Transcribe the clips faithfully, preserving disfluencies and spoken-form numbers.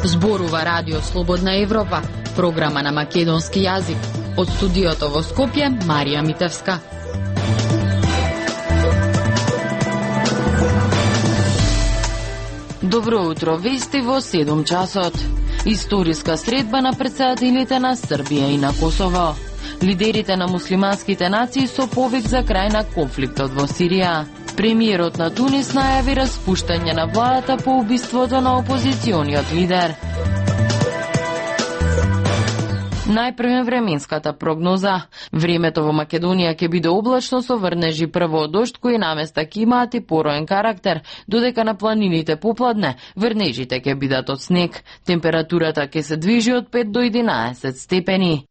Зборува Радио Слободна Европа, програма на македонски јазик. Од студиото во Скопје, Марија Митевска. Добро утро, вести во седум часот. Историска средба на претседателите на Србија и на Косово. Лидерите на муслиманските нации со повик за крај на конфликтот во Сирија. Премиерот на Тунис најави распуштање на владата по убиството на опозициониот лидер. Најпрвен временската прогноза. Времето во Македонија ќе биде облачно со врнежи, прво од дожд кои наместа ќе имаат и пороен карактер, додека на планините попладне врнежите ќе бидат од снег. Температурата ќе се движи од пет до единаесет степени.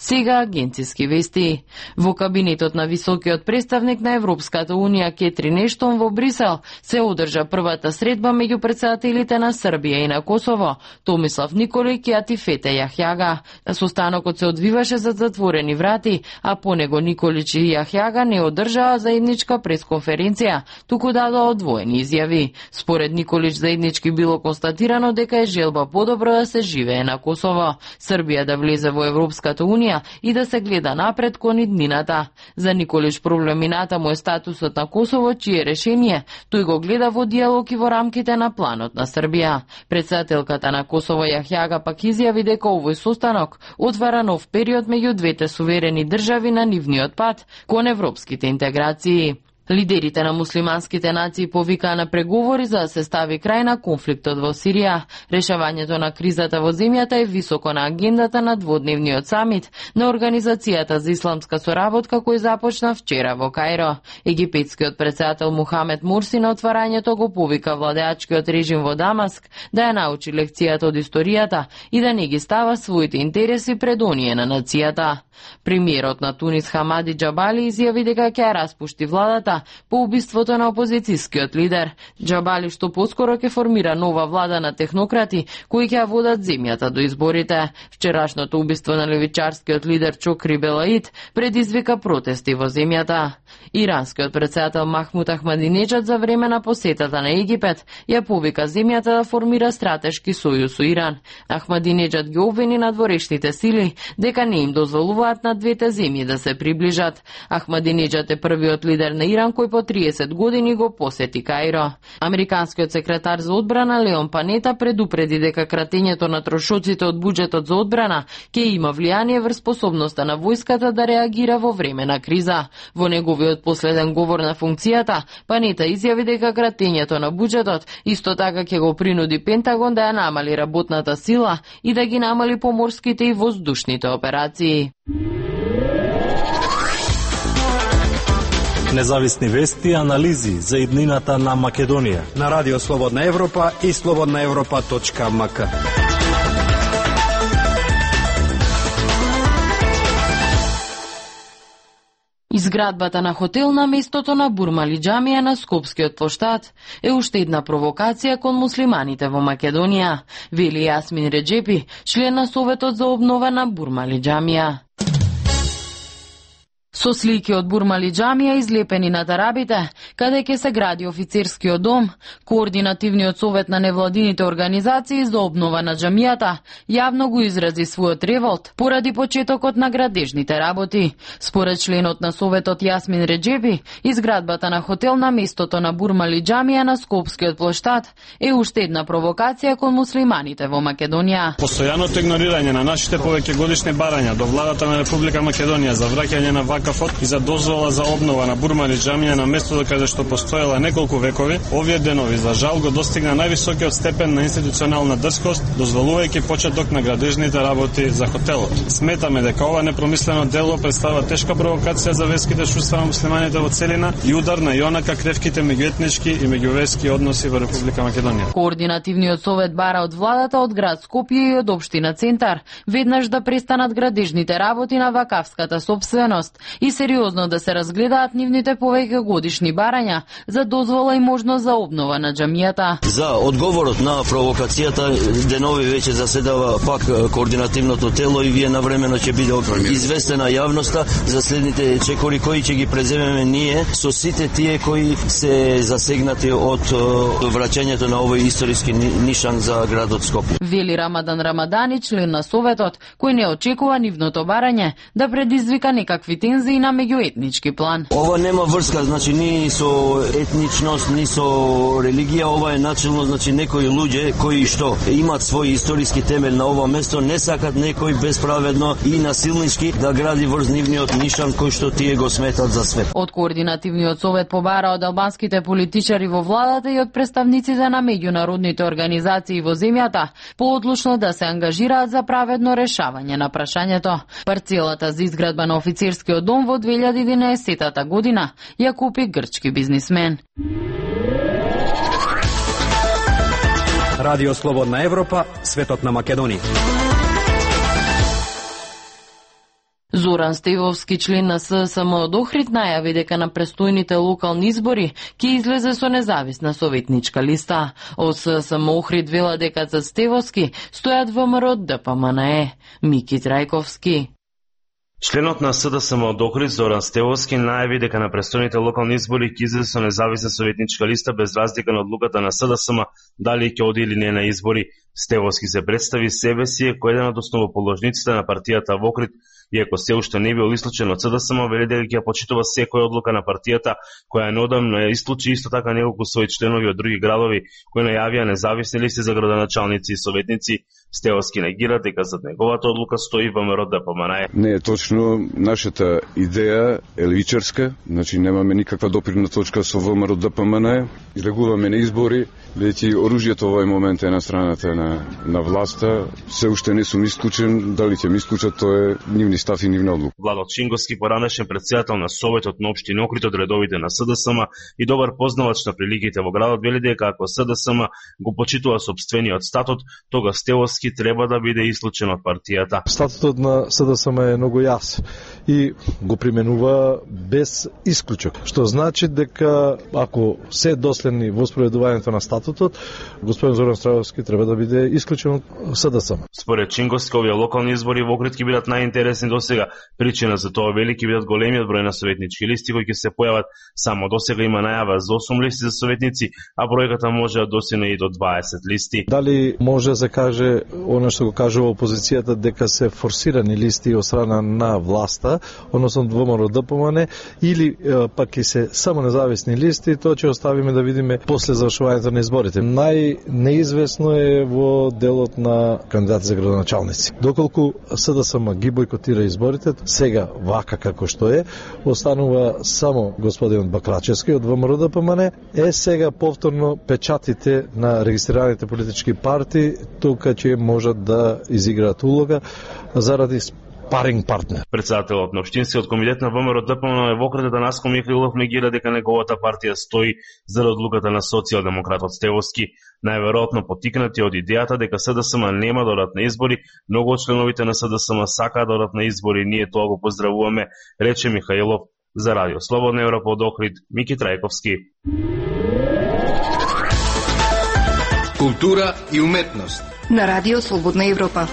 Сега агенциски вести. Во кабинетот на високиот представник на Европската Унија Кетрин Ештон во Брисел се одржа првата средба меѓу претседателите на Србија и на Косово, Томислав Николич и Атифете Јахјага. Состанокот се одвиваше за затворени врати, а по него Николич и Јахјага не одржаа заедничка пресконференција, туку дадоа одвоени изјави. Според Николич заеднички било констатирано дека е желба подобро да се живее на Косово, Србија да влезе во Европската Унија и да се гледа напред кон иднината. За Николич проблемината му е статусот на Косово, чие решение тој го гледа во диалог и во рамките на планот на Србија. Председателката на Косово Јахјага пак изјави дека овој состанок отвара нов период меѓу двете суверени држави на нивниот пат кон европските интеграции. Лидерите на муслиманските нации повикаа на преговори за да се стави крај на конфликтот во Сирија. Решавањето на кризата во земјата е високо на агендата на дводневниот самит на Организацијата за исламска соработка кој започна вчера во Кајро. Египетскиот председател Мухамед Мурси на отварањето го повика владеачкиот режим во Дамаск да ја научи лекцијата од историјата и да не ги става своите интереси пред оние на нацијата. Премиерот на Тунис Хамади Џабали изјави дека ќе ја распушти владата по убиството на опозицијскиот лидер. Џабали што поскоро ќе формира нова влада на технократи кои ќе ја водат земјата до изборите. Вчерашното убиство на левичарскиот лидер Чокри Белаид предизвика протести во земјата. Иранскиот председател Махмуд Ахмадинеџад за време на посетата на Египет ја повика земјата да формира стратешки сојуз со Иран. Ахмадинеџад ги обвини надворешните сили дека не им дозволуваат на двете земји да се приближат. Ахмадинеџад е првиот лидер на Иран кој по триесет години го посети Кајро. Американскиот секретар за одбрана Леон Панета предупреди дека кратењето на трошоците од буџетот за одбрана ќе има влијание врз способноста на војската да реагира во време на криза. Во неговиот последен говор на функцијата, Панета изјави дека кратењето на буџетот исто така ќе го принуди Пентагон да ја намали работната сила и да ги намали поморските и воздушните операции. Независни вести и анализи за иднината на Македонија на Радио Слободна Европа и слободна европа точка ем ка. Изградбата на хотел на местото на Бурмали џамија на Скопскиот плоштад е уште една провокација кон муслиманите во Македонија, вели Јасмин Реџепи, член на Советот за обнова на Бурмали џамија. Со слики од Бурмали џамија излепени на тарабите, каде ќе се гради офицерскиот дом, Координативниот совет на невладините организации за обнова на џамијата јавно го изрази својот револт поради почетокот на градежните работи. Според членот на советот Јасмин Реџепи, изградбата на хотел на местото на Бурмали џамија на Скопскиот плоштад е уште една провокација кон муслиманите во Македонија. Постојаното игнорирање на нашите повеќегодишни барања до владата на Република Македонија за враќање на вакафот и за дозвола за обнова на Бурмали џамија на местото каде што постоела неколку векови, овие денови за жал го достигна највисокиот степен на институционална дрскост, дозволувајќи почеток на градежните работи за хотелот. Сметаме дека ова непромислено дело представува тешка провокација за верските чувства на муслиманите во целина и удар на јонака кревките меѓуетнички и меѓуверски односи во Република Македонија. Координативниот совет бара од владата, од град Скопје и од општина Центар веднаш да престанат градежните работи на вакавската сопственост и сериозно да се разгледаат нивните повеќе годишни барања за дозвола и можност за обнова на џамијата. За одговорот на провокацијата денови веќе заседава пак координативното тело и вие навремено ќе биде известена јавноста за следните чекори кои ќе ги преземеме ние со сите тие кои се засегнати од враќањето на овој историски нишан за градот Скопје. Вели Рамадан Рамадани, член на Советот, кој не очекува нивното барање да предизвика некакви тензии на меѓуетнички план. Ова нема врска, значи ни со етничност, ни со религија, ова е начелно, значи некои луѓе кои што имаат свој историски темел на ова место, не сакат некој безправедно и насилнички да гради врз нивниот нишан кој што тие го сметат за свет. Од координативниот совет побара од албанските политичари во владата и од представниците на меѓународните организации во земјата поодлучно да се ангажираат за праведно решавање на прашањето. Парцелата за изградба на офицерскиот дом во две илјади и единаесетта година ја купи грчки бизнисмен. Радио Слободна Европа, светот на Македонија. Зоран Стевовски, член на СДСМ од Охрид, најави дека на престојните локални избори ќе излезе со независна советничка листа. Од СДСМ Охрид вела дека за Стевовски стојат ВМРО, ДПМНЕ. Мики Трајковски. Членот на СДСМ од Охрид Зоран Стевовски најави дека на престојните локални избори ќе излезе со независна советничка листа без разлика на одлуката на СДСМ дали ќе оди или не на избори. Стевовски се представи себе си како еден од основоположниците на партијата во Охрид, иако се уште не бил исклучен од СДСМ, вели дека ќе почитува секоја одлука на партијата која неодамно ја исклучи исто така неколку своји членови од други градови кои најавија независни листи за градоначалници и советници. Стевовски негира дека зад неговата одлука стои ВМРО ДПМНЕ. Не е точно, нашата идеја е левичарска, значи немаме никаква допирна точка со ВМРО ДПМНЕ, излегуваме на избори, бидејќи оружјето во овој момент е на страната на на власта, се уште не сум исклучен, дали ќе ми исклучат, тоа е нивни став и нивна одлука. Владот Шинговски, поранешен председател на Советот на општина Охрид од редовите на СДСМ и добар познавач на приликите во градот, вели дека ако СДСМ го почитува сопствениот статут, тога Стевовски треба да биде исклучен од партијата. Статутот на СДСМ е многу јасен и го применува без исклучок, што значи дека ако се доследни во спроведувањето на статутот, господин Зоран Стевовски треба да биде исклучен од СДСМ. Според Чинговски, овие локални избори во Охрид ќе бидат најинтересни досега. Причина за тоа вели ќе бидат големиот број на советнички листи кои ќе се појават. Само досега има најава за осум листи за советници, а бројката може да достигне и до дваесет листи. Дали може да се каже она што го кажува опозицијата дека се форсирани листи од страна на власта, односно ВМРО ДПМНЕ, или пак ќе се само независни листи, тоа ќе оставиме да видиме после завршувањето на изборите. Најнеизвестно е во делот на кандидати за градоначалници. Доколку СДСМ ги бойкотира изборите, сега вака како што е, останува само господинот Бакрачевски од ВМРО ДПМНЕ, е сега повторно печатите на регистрираните политички партии тука ќе можат да изиграат улога заради паринг партнер. Председателот на општинскиот комитет на ВМРО ДПМНЕ во Охрид Атанаско Михаилов негира дека неговата партија стои за одлуката на социјалдемократот Стевовски. Најверојатно потикнати од идејата дека СДСМ нема да одат на избори, многу од членовите на СДСМ сакаат да одат на избори, ние тоа го поздравуваме, рече Михаилов за Радио Слободна Европа од Охрид, Мики Трајковски. Култура и уметност на Радио Слободна Европа.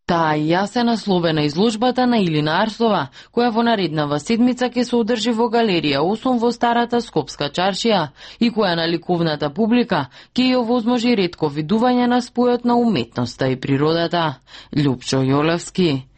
Таа ја се наслове на изложбата на Илина Арсова, која во нареднава седмица ќе се одржи во галерија осум во старата Скопска чаршија и која на ликовната публика ќе ја овозможи ретко видување на спојот на уметноста и природата. Љупчо Јолевски.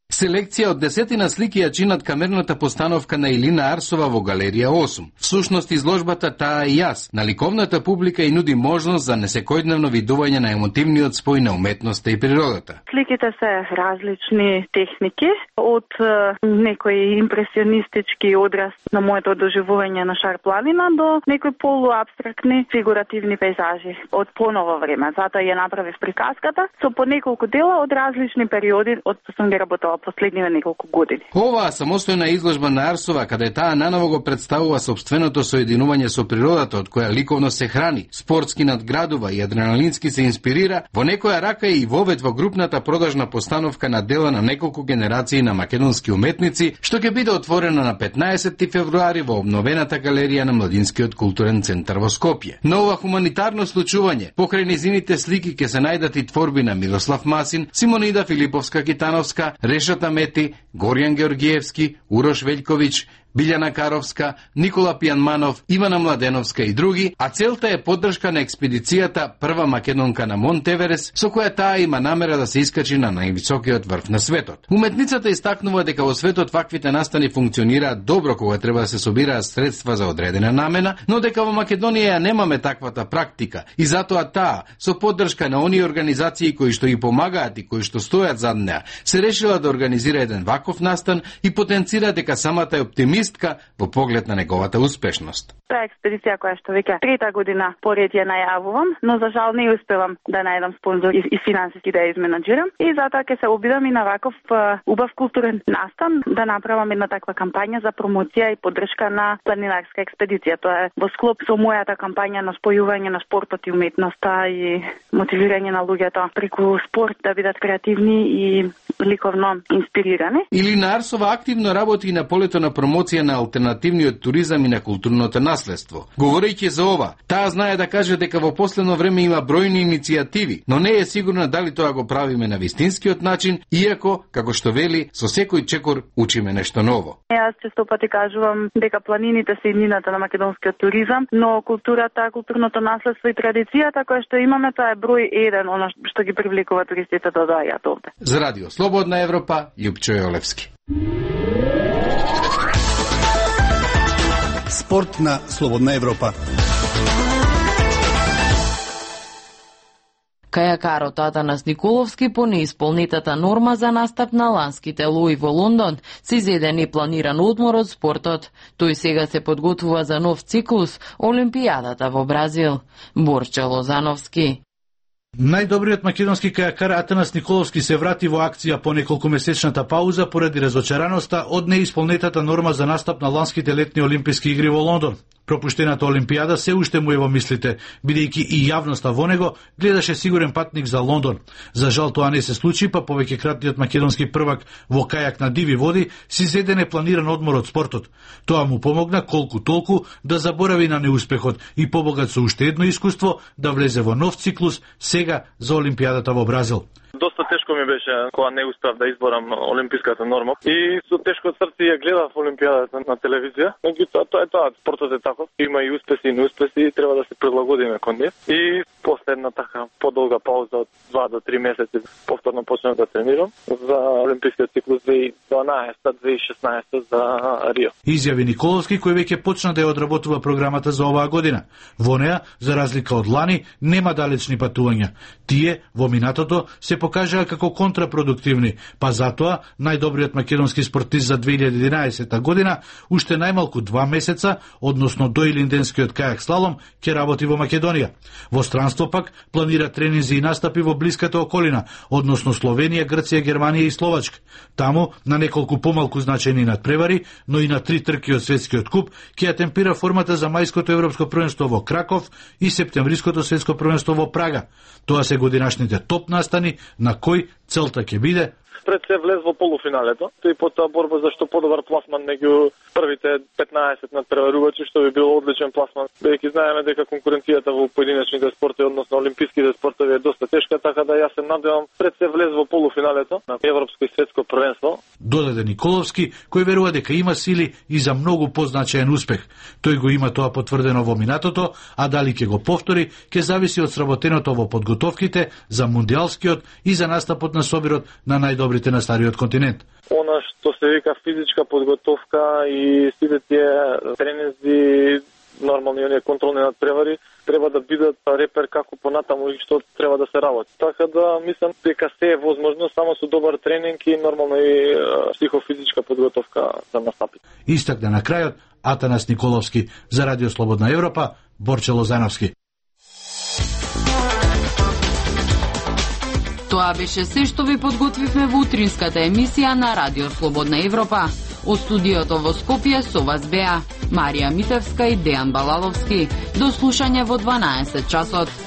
Селекција од десетина слики ја чинат камерната постановка на Илина Арсова во галерија осум. Всушност изложбата Таа и јас на ликовната публика и нуди можност за несекојдневно видување на емотивниот спој на уметноста и природата. Сликите се различни техники, од некој импресионистички одраз на моето доживување на Шар планина до некои полуабстрактни фигуративни пейзажи од поново време. Затоа ја направив приказката со по неколку дела од различни периоди од што сум ги работела последниве неколку години. Оваа самостојна изложба на Арсова, каде таа наново го представува сопственото соединување со природата од која ликовно се храни, спортски надградува и адреналински се инспирира, во некоја рака е и вовед во групната продажна постановка на дела на неколку генерации на македонски уметници, што ќе биде отворена на петнаесетти февруари во обновената галерија на Младинскиот културен центар во Скопје. На ова хуманитарно случување, покрај низините слики ќе се најдат и творби на Мирослав Масин, Симонида Филиповска-Китановска, Решата Мети, Горјан Георгиевски, Урош Велјковиќ, Билјана Каровска, Никола Пијанманов, Ивана Младеновска и други, а целта е поддршка на експедицијата Прва македонка на Монт Еверест, со која таа има намера да се искачи на највисокиот врв на светот. Уметницата истакнува дека во светот ваквите настани функционираат добро кога треба да се собираат средства за одредена намена, но дека во Македонија ја немаме таквата практика и затоа таа, со поддршка на оние организации кои што ги помагаат и кои што стојат зад неа, се решила да организира еден ваков настан и потенцира дека самата е оптимист во поглед на неговата успешност. Тоа е експедиција која што веќе трета година поред ја најавувам, но за жал не успевам да најдам спонзор и, и финансиски да ја изменаџирам и затоа ќе се обидам и на ваков uh, убав културен настан да направам една таква кампања за промоција и поддршка на планинарска експедиција. Тоа е во склоп со мојата кампања на спојување на спортот и уметноста и мотивирање на луѓето преку спорт да бидат креативни и ликовно инспирирани. Илина Арсова активно работи на полето на промоција на алтернативниот туризам и на културното наследство. Говорејќи за ова, таа знае да каже дека во последно време има бројни иницијативи, но не е сигурна дали тоа го правиме на вистинскиот начин, иако, како што вели, со секој чекор учиме нешто ново. Јас често пати кажувам дека планините се иднината на македонскиот туризам, но културата, културното наследство и традицијата која што имаме, тоа е број еден, она што ги привлекува туристите да доаѓаат овде. За Радио Слободна Европа, Љупчо Јолевски. Спорт на Слободна Европа. Кајакарот Атанас Николовски по неисполнетата норма за настап на ланските лои во Лондон се изеде непланиран одмор од спортот. Тој сега се подготвува за нов циклус, Олимпијадата во Бразил. Борче Лозановски. Најдобриот македонски кајакар Атанас Николовски се врати во акција по неколкумесечната пауза поради разочараноста од неисполнетата норма за настап на ланските летни олимписки игри во Лондон. Пропуштената Олимпијада се уште му е во мислите, бидејќи и јавноста во него гледаше сигурен патник за Лондон. За жал тоа не се случи, па повеќекратниот македонски првак во кајак на диви води си зеде непланиран одмор од спортот. Тоа му помогна колку толку да заборави на неуспехот и побогат со уште едно искуство да влезе во нов циклус сега за Олимпијадата во Бразил. Доста тешко ми беше кога не успеав да изборам олимписката норма и со тешко срце ја гледав Олимпијадата на телевизија. Меѓутоа тоа е тоа, спортот е таков, има и успеси и неуспеси и треба да се прилагодиме кон нив. И после една така подолга пауза од два до три месеци повторно почнав да тренирам за олимпискиот циклус две илјади и дванаесетта две илјади и шеснаесетта за Рио. Изјави Николовски, кој веќе почна да ја одработува програмата за оваа година. Во неа, за разлика од лани, нема далечни патувања. Тие во минатото се покажаа како контрапродуктивни, па затоа најдобриот македонски спортист за две илјади и единаесетта година уште најмалку два месеца, односно до илинденскиот кајак слалом, ќе работи во Македонија. Во странство пак планира тренинзи и настапи во блиската околина, односно Словенија, Грција, Германија и Словачка. Таму на неколку помалку значајни надпревари, но и на три трки од светскиот куп ќе ја темпира формата за мајското европско првенство во Краков и септемвриското светско првенство во Прага. Тоа се годинашните топ настани на кој целта ќе биде пред се влез во полуфиналето и потоа борба за што подобар пласман меѓу првите петнаесет надпреварувачи, што би бил одличен пласман. Бидејќи знаеме дека конкуренцијата во поединечните спортови, односно олимписките спортови е доста тешка, така да јас се надевам пред се влез во полуфиналето на европско и светско првенство. Додаде Николовски, кој верува дека има сили и за многу позначаен успех. Тој го има тоа потврдено во минатото, а дали ќе го повтори, ќе зависи од сработеното во подготовките за мундијалскиот и за настапот на собирот на најдобри на стариот континент. Она што се вика физичка подготовка и сите тие тренинзи, нормални оние контролни надпревари, треба да бидат репер како понатаму и што треба да се работи. Така да мислам дека се е возможно само со добар тренинг и нормално и психофизичка подготовка за настапи. Истакна на крајот Атанас Николовски за Радио Слободна Европа, Борче Лозановски. Тоа беше се што ви подготвивме во утринската емисија на Радио Слободна Европа. Од студиото во Скопје со вас беа Марија Митевска и Дејан Балаловски. До слушање во дванаесет часот.